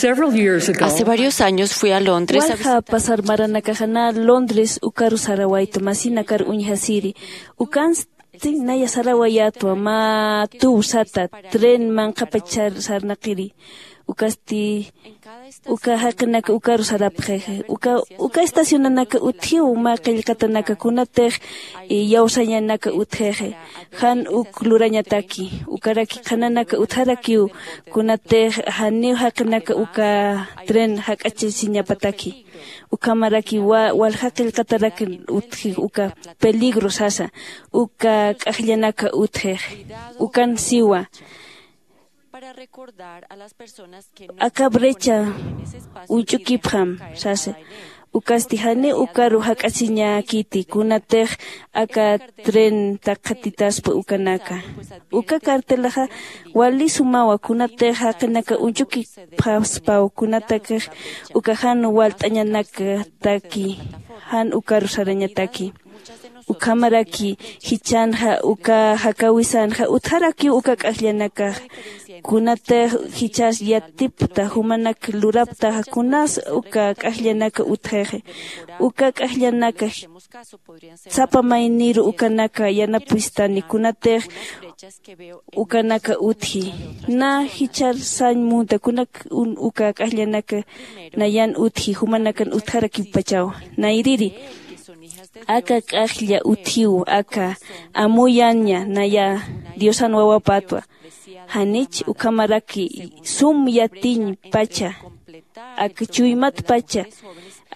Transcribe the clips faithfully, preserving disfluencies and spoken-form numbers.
Several years ago, hace varios años fui a Londres a walja visitar pasar maranakaxana Londres ukaru sarawaytu masinakar uñjasiri. Ukansti naya sarawayatwa mä tuw sata tren manqhapachar sarnaqiri. Ukasti uka jaqinaka ukaru sarapxixi uka uka estacionanaka utjiw mä qillqatanaka kunatix iyawsañanaka utjixi. Jan uk lurañataki ukaraki qhananaka utjarakiw kunatix janiw jaqinaka uka tren jak'achasiñapataki. Ukhamaraki waljaqillqatarak utji uka peligro sasa uka k'ajllanaka utjix. Ukan siwa aka brecha uñch'ukipxam sasa. Ukasti janiw ukaru jak'asiñäkiti kunatix aka tren takxatitaspa ukanaka. Uka cartelaxa wali sumawa kunatix jaqinaka uñch'ukipxaspaw kunatakix uka jan walt'añanakataki jan ukaru sarañataki. Ukhamaraki jichhanxa uka jakawisanxa utjarakiw uka k'ajllanakax kunatix jichhas yatipta jumanak luraptaxa kunas uka k'ajllanaka utjixi. Uka k'ajllanaka sapa mayniru ukanaka yanapistani kunatix ukanaka utji. Na jichhar sañ munta kunak uka k'ajllanaka nayan utji jumanakan utjarakipachaw. Nayriri aka k'ajlla utjiw aka amuyaña naya diosan wawapatwa. Janich ukhamaraki sum yatiñ pacha aka chuymat pacha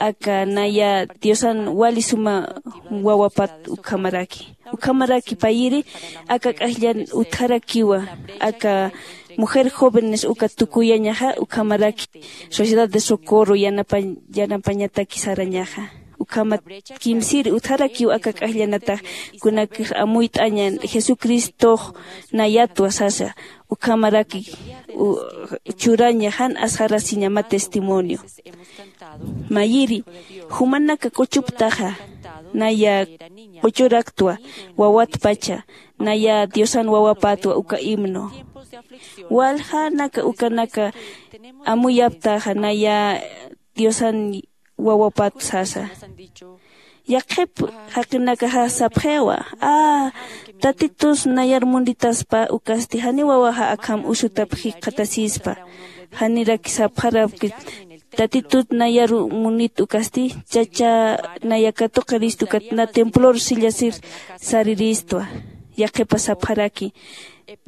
aka naya diosan wali suma wawapat ukhamaraki. Ukhamaraki payiri aka k'ajllan utjarakiwa aka mujer jóvenes uka tukuyañaxa ukhamaraki sociedad de socorro yanapañataki sarañaxa. Ukhamat kimsiri utjarakiw aka k'ajllanatax kunakix amuyt'añan jesucristox nayatwa sasa. Ukhamaraki churaña jan asxarasiñama testimonio. Mayiri jumanaka q'uchuptaxa naya q'uchuraktwa wawatpacha naya diosan wawapatwa uka himno. Waljanaka ukanaka amuyaptaxa naya diosan wawapat sasa. Yaqhip jaqinakaxa sapxiwa a tatitus nayar munitaspa ukasti janiw wawaxa akham usutap jikxatasispa. Janiraki sapxarapkit tatitut nayaru munit ukasti chacha naya katuqirist ukat na templor sillasir sariristwa. Yaqhipa sapxaraki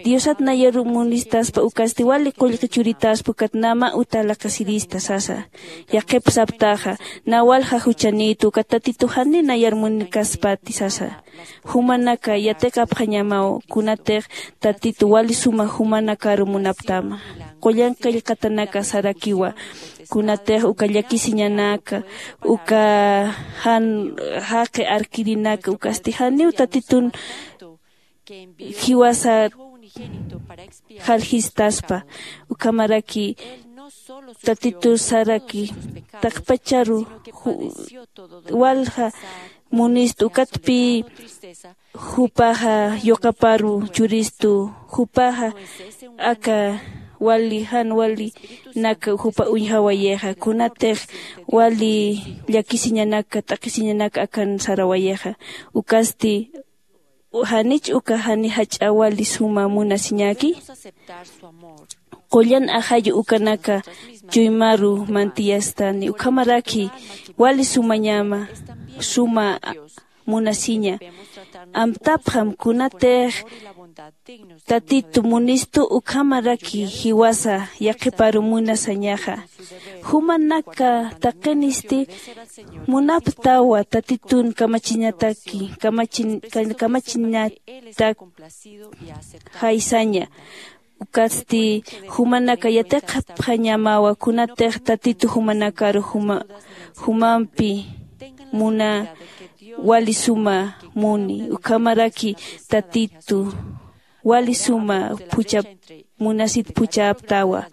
diosat nayaru munistaspa ukasti wali qullqi churitaspa ukat nama uta laqasirista sasa. Yaqhip saptaxa na walja juchanïtu ukat tatitu jani nayar munikaspati sasa. Jumanaka yatiqapxañamaw kunatix tatitu wali suma jumanakaru munaptama. Qullan qillqatanaka sarakiwa kunatix uka llakisiñanaka uka jan jaqi arkirinaka ukasti janiw tatitun jiwasa jaljistaspa. Ukhamaraki tatitu saraki taqpacharu walja munistu ukatpï jupaxa yuqaparu churistu jupaxa aka wali jan walinak jupa uñjawayixa kunatix wali llakisiñanaka t'aqhisiñanaka akan sarawayixa. Ukasti janich uka jani jach'a wali suma munasiñäki? Qullan ajayu ukanaka chuymaru mantiyastani ukhamaraki wali sumañama suma munasiña. Amtapxam kunatix tatitu munistu ukhamaraki jiwasa yaqhiparu munasañaxa. Jumanaka taqinisti munaptawa tatitun kamachiñataki kamachiñatak jaysaña. Ukatsti jumanaka yatiqapxañamawa kunatix tatitu jumanakaru jumampi muna wali suma muni ukhamaraki tatitu wali suma phuchap munasit phuchaptawa.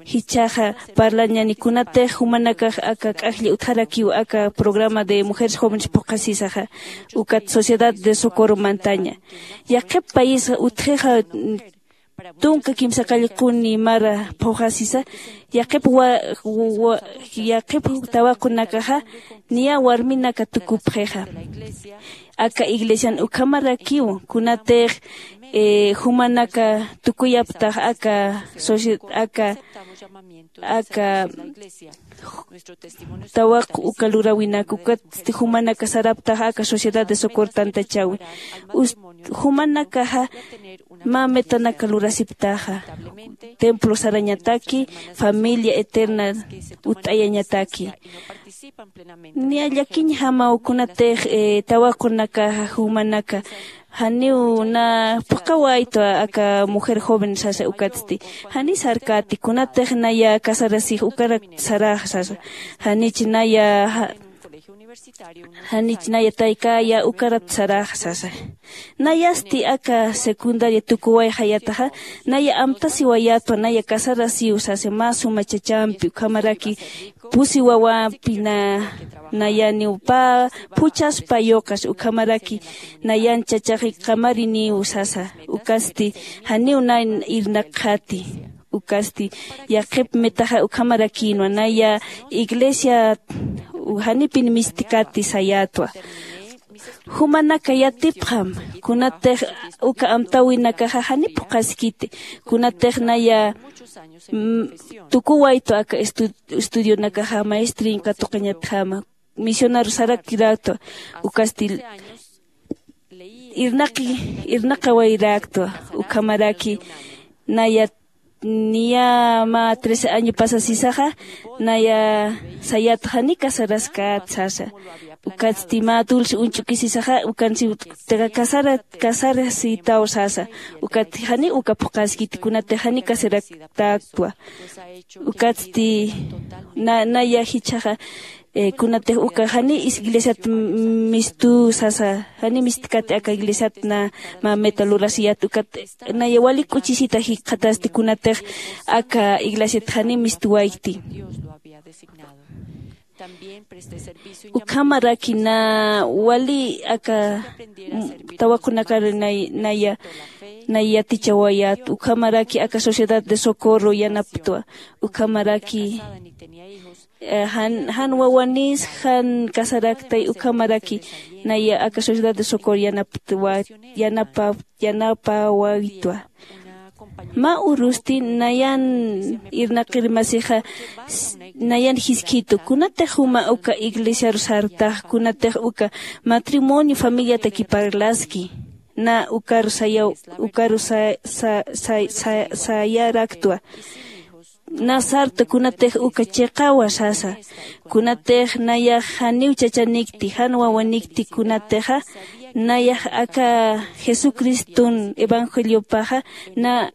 Jichhaxa parlañani kunatix jumanakax aka k'ajlla utjarakiw aka programa de mujeres jóvenes phuqhasisaxa ukat sociedad de socorro mantaña. Yaqhip paisxa utjixa tunka kimsa qallquni mara phuxasisa, yaqhip wa- wa- yaqhip tawaqunakaxa niya warminaka tukupxixa. Aka iglesian ukhamarakiw kunatix jumanaka tukuyaptax aka socie- aka aka tawaq uka luräwinak ukatsti jumanaka saraptax aka sociedad de socorro tantachäwi. Jumanakaxa mä metanaka lurasiptaxa, templo sarañataki, familia eterna utt'ayañataki. Niya llakiñjamaw kunatix tawaqunakaxa jumanaka janiw na phuqhawaytwa aka mujer joven sasa ukatsti, jani sarkäti kunatix naya casarasix ukarak sarax sasa. Janich naya janich naya taykäya ukarat sarax sasa. Nayasti aka secundaria tukuwayxayataxa naya amtasiwayätwa naya casarasiw sasa mä suma chachampi ukhamaraki pusi wawampi na nayaniw pä phuchhaspa yuqas ukhamaraki nayan chachax qamarinïw sasa. Ukasti janiw na irnaqxati. Ukasti yaqhip metaxa ukhamarakïnwa naya iglesia janipin mistkati sayätwa. Jumanaka yatipxam kunatix uka amtäwinakaxa jani phuqhaskiti kunatix naya tukuwaytwa aka estu- estudionakaxa maestrin katuqañatjama misionar sarakiräktwa. Ukasti irnaqi irnaqawayräktwa. Ukhamaraki naya niya mä trece año pasasisaxa naya sayätxa jani casaraskät sasa. Ukatsti mä dulce uñch'ukisisaxa ukansi casarasïtaw sasa. Ukatsti jani uka phuqhaskiti kunatix jani casaratäktwa. Ukatsti naya jichhaxa kunatix uka jani iglesiat mistü sasa jani mistkati aka iglesiat na mä meta lurasiyät ukat naya wali k'uchisita jikxatasti kunatix aka iglesiat jani mistwaykti. Ukhamaraki na wali aka tawaqunakar naya naya yatichawayät ukhamaraki aka sociedad de socorro yanaptwa. Ukhamaraki jan wawanis jan casaraktay ukhamaraki naya aka sociedad de socorro yanaptwa yanapa yanapawaytwa. Mä urusti nayan irnaqir masixa nayan jiskhitu kunatix juma uka iglesiaru sartax kunatix uka matrimonio familiataki parlaski na ukaru sayaw ukaru sayaraktwa. Na sarta kunatix uka chiqawa sasa kunatix nayax janiw chachanikti jan wawanikti kunatixa nayax aka jesucriston evangeliopaxa na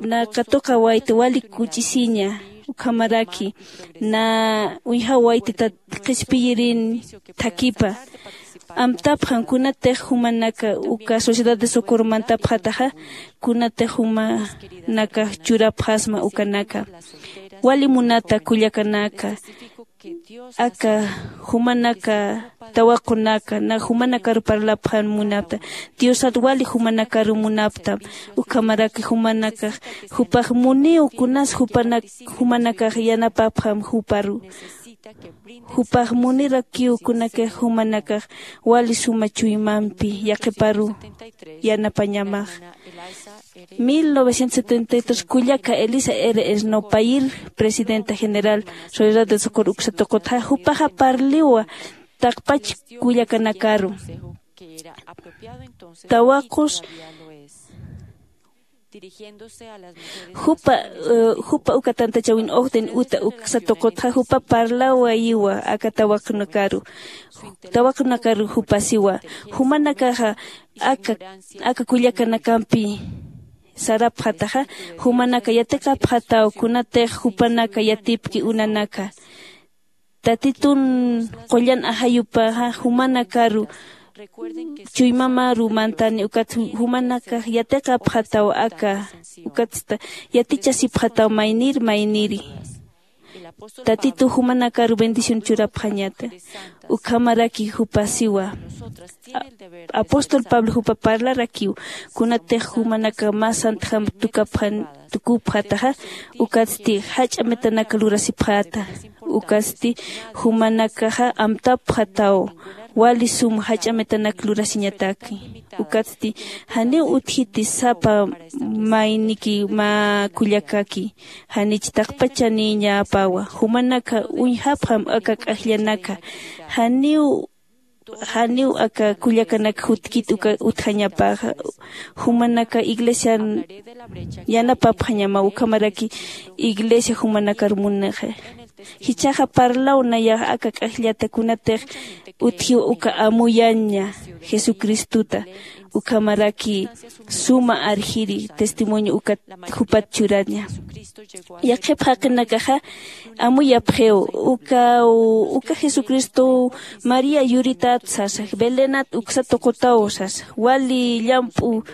na katuqawayta wali kuch'isiña. Ukhamaraki na uñjawayta qhispiyirin thakhipa. Amtapxam kunatix jumanaka uka sociedad de socorro mantapxataxa kunatix jumanakax churapxasma ukanaka. Wali munata kullakanaka aka jumanaka tawaqunaka na jumanakaru parlapxan munapta diosat wali jumanakaru munaptam. Ukhamaraki jumanakax jupax muniw kunas jupanak jumanakax yanapapxam juparu jupax munirakiw kunakix jumanakax wali suma chuymampi yaqhiparu yanapañamax. Mil novecientos setenta y tres kullaka elisa r esnopayir presidenta general soledad de socorro uksa tuqutxa jupaxa parliwa taqpach kullakanakaru tawaqus jupa jupa uka tantachawin ojden uta uksa tuqutxa jupa parlawayiwa aka tawaqnakaru tawaqnakaru jupasiwa jumanakaxa aka aka kullakanakampi sarapxataxa jumanaka yatiqapxataw kunatix jupanaka yatipki unanaka tatitun qullan ajayupaxa jumanakaru chuymamaru mantani ukat jumanakax yatiqapxataw aka ukatsta yatichasipxataw maynir mayniri. Tatitu jumanakar bendición churapxañata. Ukhamaraki jupa siwa. Apóstol pablo jupa parlarakiw, kunatix jumanaka mä santjam tukapxataxa, ukatsti jach'a metanak lurasipxäta. Ukatsti jumanakaxa amtapxataw wali sum jach'a metanak lurasiñataki. Ukatsti janiw utjiti sapa mayniki mä kullakaki, janich taqpachanïñapawa. Jumanaka uñjapxam aka k'ajllanaka. Janiw janiw aka kullakanak jutkit uka utjañapaxa. Jumanaka iglesian yanapapxañama ukhamaraki iglesia jumanakar munixa. Jichhaxa parlaw nayax aka k'ajllata kunatix utjiw uka amuyaña jesucristuta, ukhamaraki suma arjiri testimonio ukat jupat churaña. Yaqhip jaqinakaxa amuyapxiw uka uka jesucristow maría yuritat sasa, belenat uksa tuqutaw sasa, wali llamp'u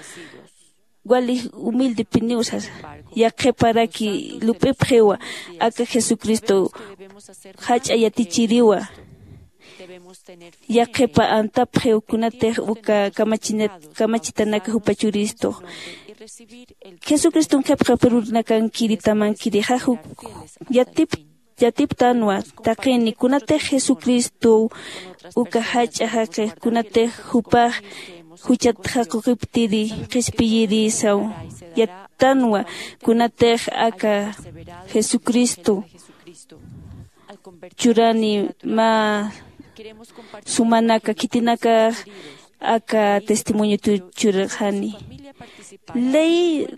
wali humildepiniw sasa. Yaqhiparaki lup'ipxiwa aka jesucristow jach'a yatichiriwa. Yaqhipa antapxiw kunatix uka kamachitanaka jupa churistux. Jesucriston qhipqapirunakankiri tamankirixa juk yatip yatiptanwa. Taqini kunatix jesucristow uka jach'a jaqix kunatix jupax juchat jaquqiptiri qhispiyirisaw yattanwa. Kunatix aka jesucristo churani mä sumanaka khitinakax aka testimoniotu churxani. Ley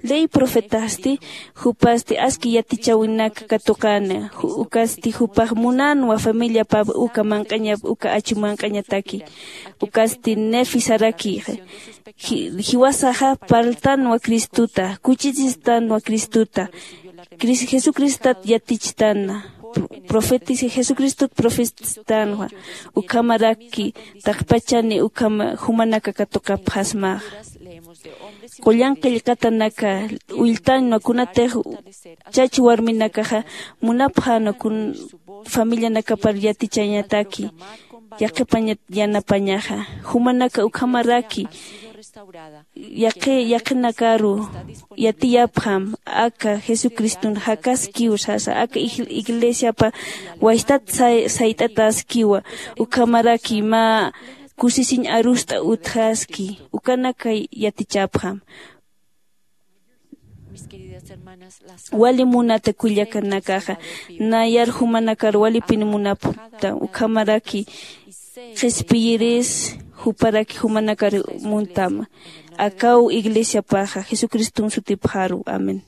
ley profetasti jupasti aski yatichawinaka katuqana. Ukasti jupax munanwa familiapap uka manq'añap uka achu manq'añataki. Ukasti nefi saraki jiwasaxa parltanwa cristota kuchisistanwa cristota. Jesucristat yatichtana. Jesucristot profetistanwa. Ukhamaraki taqpachani ukhama jumanaka katuqapxasmaxa. Qullan qillqatanaka ulltanwa kunatix chach warminakaxa munapxänwa kun familianakapar yatichañataki. Yaqhipañat yanapañaxa jumanaka ukhamaraki yaqhi yaqhinakaru yatiyapxam aka jesucriston jakaskiw sasa aka iglesiapa waystat sayt'ataskiwa. Ukhamaraki mä kusisiñ arust'a utjaski ukanaka yatichapxam. Wali munata kullakanakaxa nayar jumanakar walipin munapxta ukhamaraki qhispiyiris juparaki jumanakar muntama. Akaw iglesiapaxa jesucriston sutipxaru amén.